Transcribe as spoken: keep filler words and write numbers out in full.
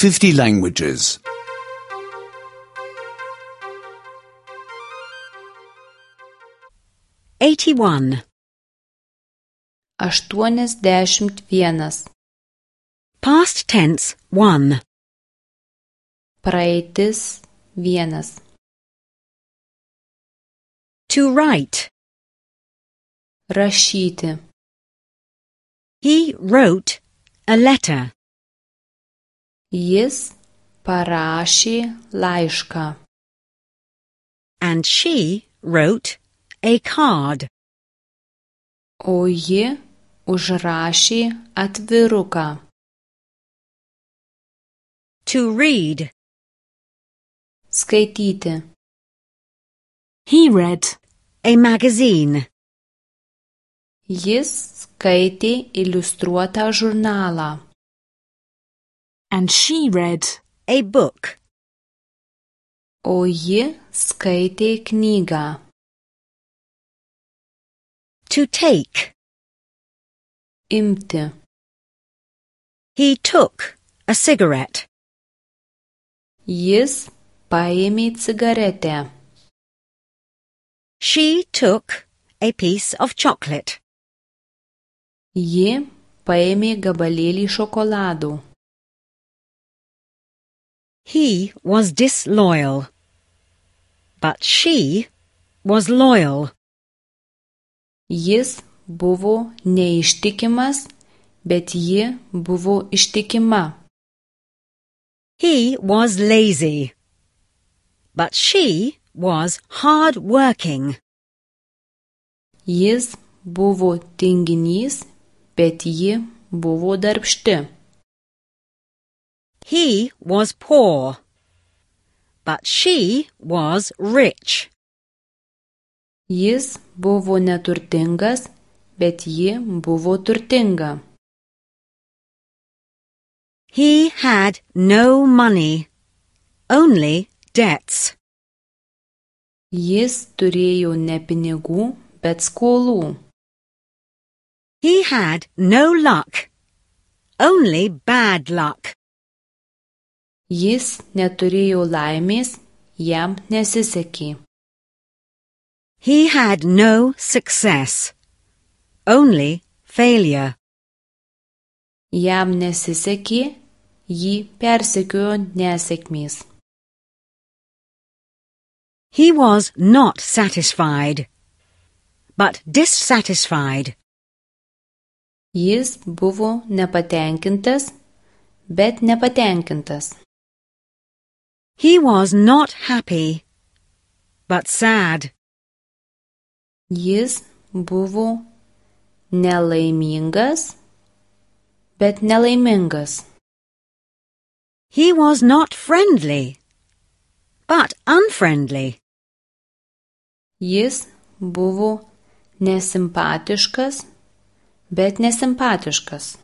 fifty languages. eighty-one. aštuoniasdešimt vienas. Past tense one. Praeitis vienas. To write. Rašyti. He wrote a letter. Jis parašė laišką. And she wrote a card. O ji užrašė atviruką. To read. Skaityti. He read a magazine. Jis skaitė iliustruotą žurnalą. And she read a book. O ji skaitė knygą. To take. Imti. He took a cigarette. Jis paėmė cigaretę. She took a piece of chocolate. Ji paėmė gabalėlį šokolado. He was disloyal, but she was loyal. Jis buvo neištikimas, bet ji buvo ištikima. He was lazy, but she was hard-working. Jis buvo tinginys, bet ji buvo darbšti. He was poor, but she was rich. Jis buvo neturtingas, bet ji buvo turtinga. He had no money, only debts. Jis turėjo ne pinigų, bet skolų. He had no luck, only bad luck. Jis neturėjo laimės, jam nesisekė. He had no success, only failure. Jam nesisekė, jį persekiojo nesėkmės. He was not satisfied, but dissatisfied. Jis buvo nepatenkintas, bet nepatenkintas. He was not happy, but sad. Jis buvo nelaimingas, bet nelaimingas. He was not friendly, but unfriendly. Jis buvo nesimpatiškas, bet nesimpatiškas.